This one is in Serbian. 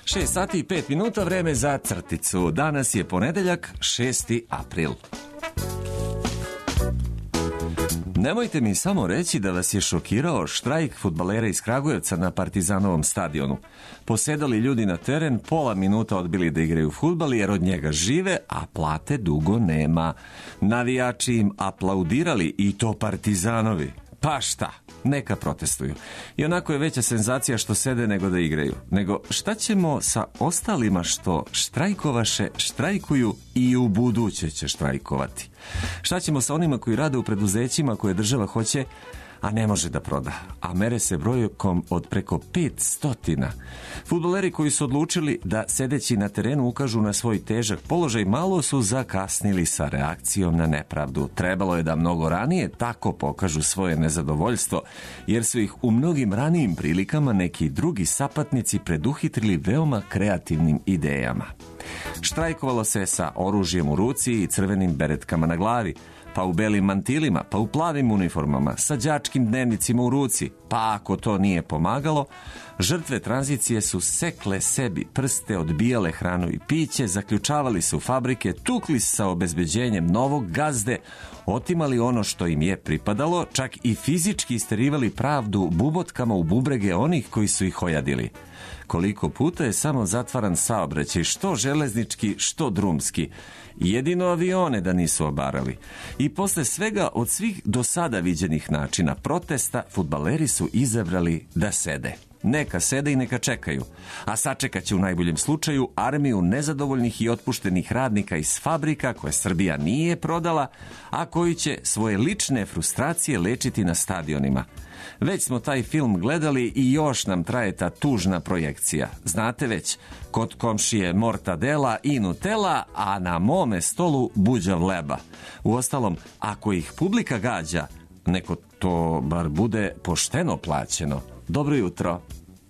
6 sati i 5 minuta, vreme za crticu. Danas je ponedeljak, 6. april. Nemojte mi samo reći da vas je šokirao štrajk fudbalera iz Kragujevca na Partizanovom stadionu. Posedali ljudi na teren, pola minuta odbili da igraju fudbal jer od njega žive, a plate dugo nema. Navijači im aplaudirali, i to Partizanovi. Pa šta, neka protestuju. I onako je veća senzacija što sede nego da igraju. Nego šta ćemo sa ostalima što štrajkovaše, štrajkuju i u buduće će štrajkovati? Šta ćemo sa onima koji rade u preduzećima koje država hoće, a ne može da proda, a mere se brojkom od preko 500. Fudbaleri koji su odlučili da sedeći na terenu ukažu na svoj težak položaj malo su zakasnili sa reakcijom na nepravdu. Trebalo je da mnogo ranije tako pokažu svoje nezadovoljstvo, jer su ih u mnogim ranijim prilikama neki drugi sapatnici preduhitrili veoma kreativnim idejama. Štrajkovalo se sa oružjem u ruci i crvenim beretkama na glavi, pa u belim mantilima, pa u plavim uniformama, sa đačkim dnevnicima u ruci, pa ako to nije pomagalo, žrtve tranzicije su sekle sebi prste, odbijale hranu i piće, zaključavali se u fabrike, tukli sa obezbeđenjem novog gazde, otimali ono što im je pripadalo, čak i fizički isterivali pravdu bubotkama u bubrege onih koji su ih ojadili. Koliko puta je samo zatvaran saobraćaj, što železnički, što drumski. Jedino avione da nisu obarali. I posle svega od svih do sada viđenih načina protesta, fudbaleri su izabrali da sede. Neka sede i neka čekaju. A sačekat će u najboljem slučaju armiju nezadovoljnih i otpuštenih radnika iz fabrika koje Srbija nije prodala, a koji će svoje lične frustracije lečiti na stadionima. Već smo taj film gledali i još nam traje ta tužna projekcija. Znate već, kod komšije mortadela i nutela, a na mome stolu buđav leba. Uostalom, ako ih publika gađa, neko to bar bude pošteno plaćeno. Dobro jutro.